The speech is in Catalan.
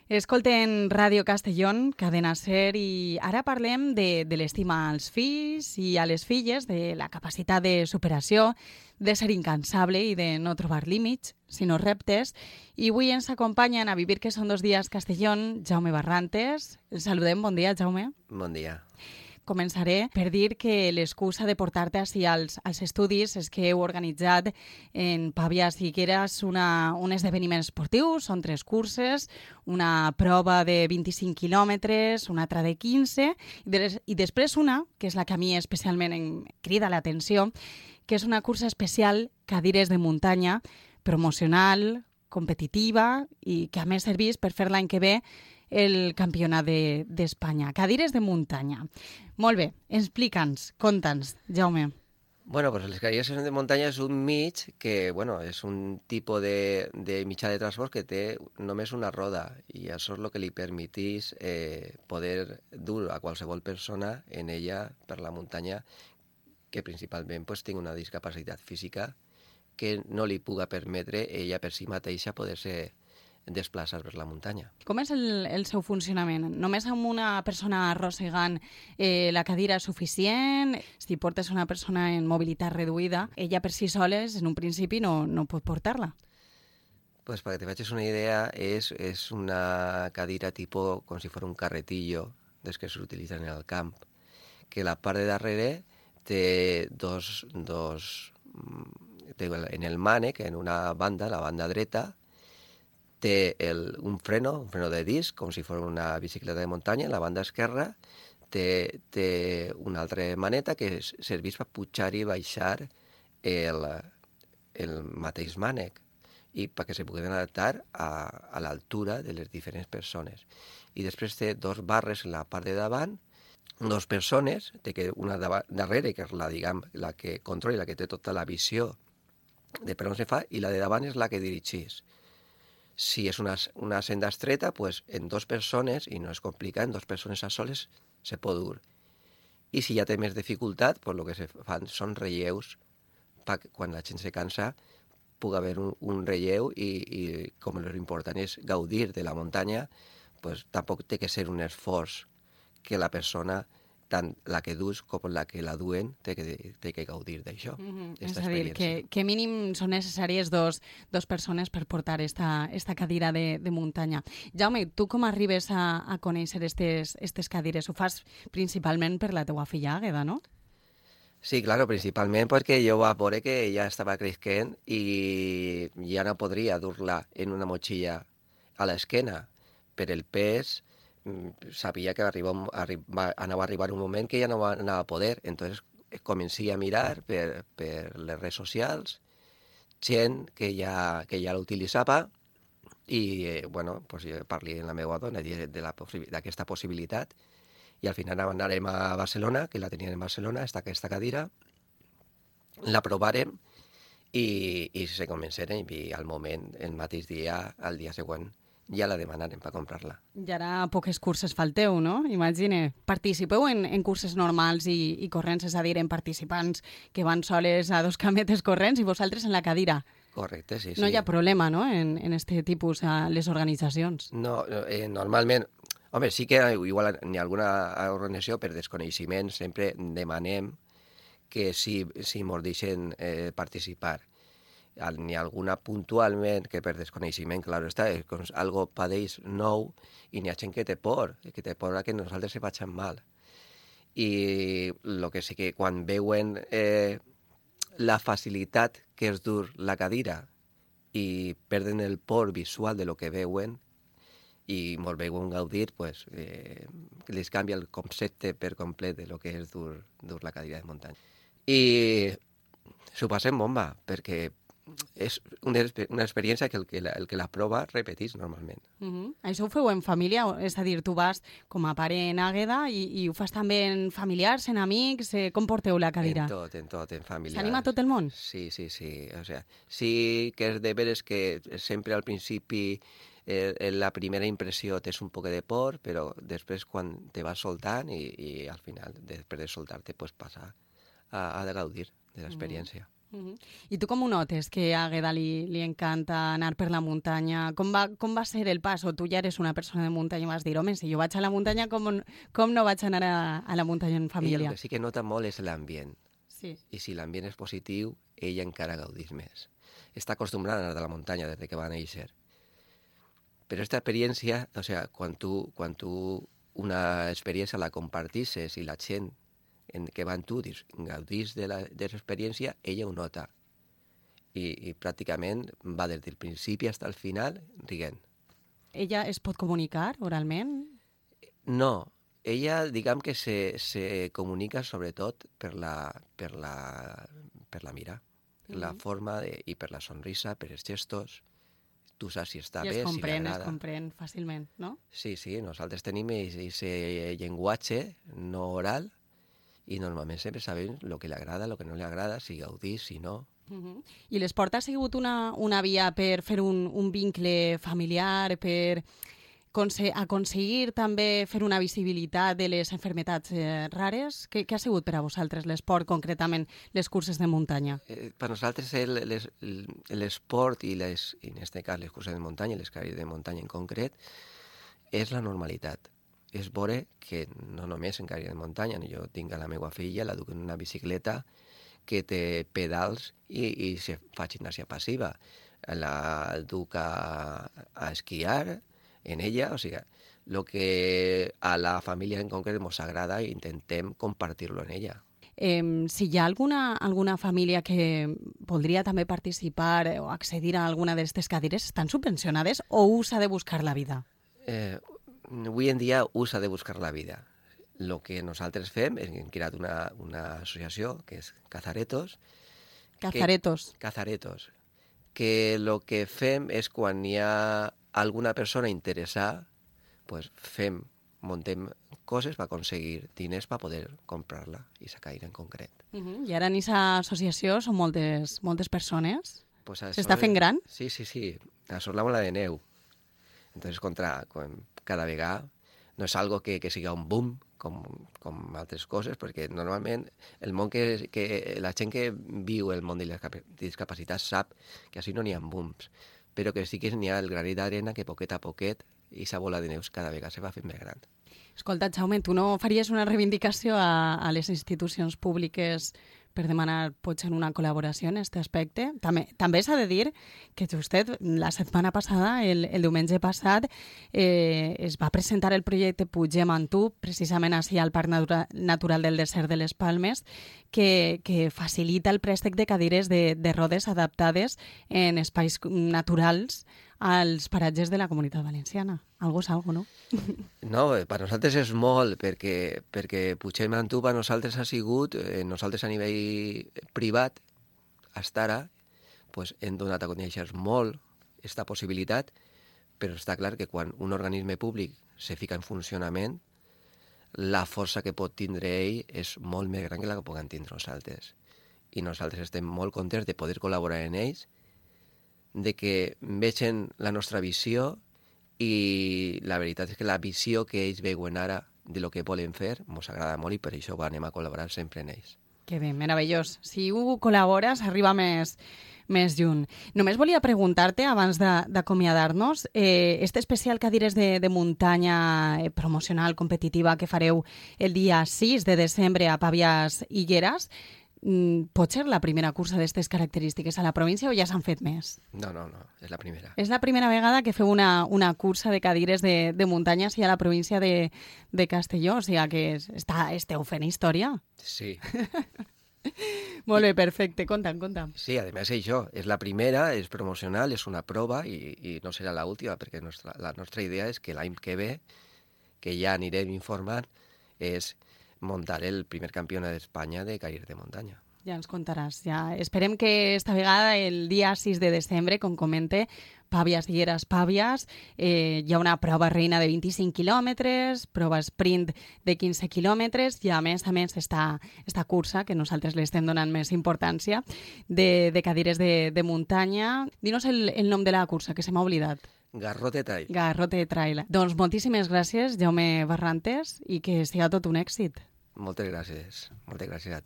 Escolten Ràdio Castellón, Cadena Ser, i ara parlem de l'estima als fills i a les filles, de la capacitat de superació, de ser incansable i de no trobar límits, sinó reptes. I avui ens acompanyen a Vivir que són 2 dies Castellón, Jaume Barrantes. El saludem, bon dia, Jaume. Bon dia. Començaré per dir que l'excusa de portar-te ací als estudis és que heu organitzat en Pavias i Higueras un esdeveniment esportiu. Són 3 curses, una prova de 25 quilòmetres, una altra de 15 i després una, que és la que a mi especialment em crida l'atenció, que és una cursa especial cadires de muntanya, promocional, competitiva i que a més serveix per fer l'any que ve el campionat d'Espanya. Cadires de muntanya. Molt bé, explica'ns, conta'ns, Jaume. Bueno, pues les cadires de muntanya és un mig que, bueno, és un tipus de mitjà de transport que té només una roda i això és el que li permetís poder dur a qualsevol persona en ella per la muntanya que principalment pues, tingui una discapacitat física que no li puga permetre ella per si mateixa poder-se desplaçar per la muntanya. Com és el seu funcionament? Només amb una persona arrossegant la cadira és suficient? Si portes una persona en mobilitat reduïda, ella per si soles, en un principi, no pot portar-la. Pues para que te facis una idea, és una cadira tipo com si fos un carretillo dels que s'utilitzen en el camp, que la part de darrere té en el mànec, en una banda, la banda dreta, té un freno de disc, com si fos una bicicleta de muntanya, en la banda esquerra té una altra maneta que serveix per pujar i baixar el mateix mànec i perquè se pugui adaptar a l'altura de les diferents persones. I després té 2 barres en la part de davant, 2 persones, té una darrere, que és la que controla, la que té tota la visió de per on se fa, i la de davant és la que dirigeix. Si és una senda estreta, pues en 2 persones, i no és complicat, en 2 persones a soles se pot dur. I si ja té més dificultat, pues el que se fan són relleus, perquè quan la gent se cansa pugui haver un relleu i com l'important és gaudir de la muntanya, pues tampoc té que ser un esforç que la persona, tant la que dus com la que la duen, té que gaudir d'això. És a dir, que mínim són necessàries dos persones per portar esta cadira de muntanya. Jaume, tu com arribes a conèixer estes cadires? Ho fas principalment per la teua filla Àgueda, no? Sí, claro, principalment perquè jo va veure que ella estava creixent i ja no podria dur-la en una motxilla a l'esquena per el pes. Sabia que anava a arribar un moment que ja no anava a poder. Entonces comencé a mirar per les redes socials gent que ja l'utilitzava i, bueno, pues jo parli amb la meva dona d'aquesta possibilitat i al final anàrem a Barcelona, que la tenien en Barcelona, aquesta cadira, la provàrem i se començaren i al moment, el mateix dia, al dia següent, ja la demanarem per comprar-la. I ara poques curses falteu, no? Imagine, participeu en curses normals i corrents, és a dir, en participants que van soles a 2 cametes corrents i vosaltres en la cadira. Correcte, sí. No hi ha problema, no?, en este tipus a les organitzacions. No, normalment, home, sí que igual n'hi ha alguna organització per desconeixement, sempre demanem que si mos deixen participar. N'hi ha alguna puntualment que per desconeixement, clar està, és algo padeix nou i n'hi ha gent que té por a que nosaltres se facin mal. I el que sí que quan veuen la facilitat que és dur la cadira i perden el por visual de lo que veuen i mos veuen gaudir, pues, les canvia el concepte per complet de lo que és dur la cadira de muntanya. I s'ho passem bomba, perquè és una experiència que el que la prova repeteix normalment. Això ho feu en família? És a dir, tu vas com a pare en Àgueda i ho fas també en familiars, en amics? Com porteu la cadira? En tot, en familiars. S'anima tot el món? Sí. O sea, sí que és de veres que sempre al principi la primera impressió tens un poc de por, però després quan te vas soltant i al final, després de soltar-te, pues passa a gaudir de l'experiència. I tu com ho notes, que a Àgueda li encanta anar per la muntanya? Com va ser el pas? O tu ja eres una persona de muntanya i vas dir, home, si jo vaig a la muntanya, com no vaig anar a la muntanya en Ella família? el que sí que nota molt és l'ambient. Sí. I si l'ambient és positiu, ella encara gaudís més. Està acostumbrada a anar de la muntanya des que va néixer. Però aquesta experiència, o sea, quan tu una experiència la compartisses i la gent que va amb tu gaudís de l'experiència, ella ho nota. I pràcticament va des del principi fins al final rient. Ella es pot comunicar oralment? No, ella, diguem que se comunica sobretot per la mira, per la forma i per la sonrisa, per els gestos. Tu saps si està bé, si li agrada. Es comprèn fàcilment, no? Sí, nosaltres tenim aquest llenguatge no oral i normalment sempre sabem el que li agrada, el que no li agrada, si gaudís, si no. I l'esport ha sigut una via per fer un vincle familiar, per aconseguir també fer una visibilitat de les malalties rares? Què ha sigut per a vosaltres l'esport, concretament les curses de muntanya? Per nosaltres l'esport i en aquest cas les curses de muntanya, les carreres de muntanya en concret, és la normalitat. És veure que no només en carreres de muntanya, jo tinc a la meva filla, la duc en una bicicleta que té pedals i se fa gimnàsia passiva. La duc a esquiar en ella, o sigui, el que a la família en concret ens agrada intentem compartir-lo en ella. Si hi ha alguna família que voldria també participar o accedir a alguna d'aquestes cadires, estan subvencionades o s'ha de buscar la vida? Avui en dia s'ha de buscar la vida. El que nosaltres fem és que hem creat una associació que és Cazaretos. Cazaretos. Que el que fem és quan hi ha alguna persona interessada, pues muntem coses per aconseguir diners per poder comprar-la, aquesta caire en concret. I ara en aquesta associació són moltes persones? Pues s'està fent gran? Sí. A Sort la bola de neu. Entonces, cada vegada no és algo que siga un boom, com altres coses, perquè normalment el món que la gent que viu el món de les discapacitats sap que així no n'hi ha booms, però que sí que n'hi ha el granet d'arena que poquet a poquet aquesta bola de neus cada vegada se va fent més gran. Escolta, Jaume, tu no faries una reivindicació a les institucions públiques per demanar potser una col·laboració en aquest aspecte? També s'ha de dir que justet la setmana passada, el diumenge passat, es va presentar el projecte Pugem amb tu, precisament així al Parc Natural del Desert de les Palmes, que facilita el préstec de cadires de rodes adaptades en espais naturals als paratges de la Comunitat Valenciana. Algo és algo, no? No, per nosaltres és molt, perquè Pugem amb tu per nosaltres ha sigut, nosaltres a nivell privat, fins ara, hem donat a conèixer molt aquesta possibilitat, però està clar que quan un organisme públic se fica en funcionament, la força que pot tindre ell és molt més gran que la que puguem tindre nosaltres. I nosaltres estem molt contents de poder col·laborar en ells, de que vegin la nostra visió i la veritat és que la visió que ells veuen ara de lo que volen fer ens agrada molt i per això anem a col·laborar sempre en ells. Que bé, meravellós. Si ho col·labores, arriba més lluny. Només volia preguntar-te, abans d'acomiadar-nos, este especial Cadires de muntanya promocional competitiva que fareu el dia 6 de desembre a Pàvies i Lleres, pot ser la primera cursa d'aquestes característiques a la província o ja s'han fet més? No, és la primera. És la primera vegada que feu una cursa de cadires de muntanya a la província de Castelló, o sigui que esteu fent història. Sí. Molt bé, perfecte. Conta'm. Sí, a més això, és la primera, és promocional, és una prova i no serà l'última, perquè la nostra idea és que l'any que ve, que ja anirem informant, és muntar el primer campionat d'Espanya de carreres de muntanya. Ja ens contaràs. Ja. Esperem que esta vegada, el dia 6 de desembre, com comente, Pàvies i Lleres Pàvies, hi ha una prova reina de 25 quilòmetres, prova sprint de 15 quilòmetres i a més esta cursa, que nosaltres li estem donant més importància, de cadires de muntanya. Dinos el nom de la cursa, que se m'ha oblidat. Garrote Trail. Garrote Trail. Doncs moltíssimes gràcies, Jaume Barrantes, i que siga tot un èxit. Moltes gràcies a tu.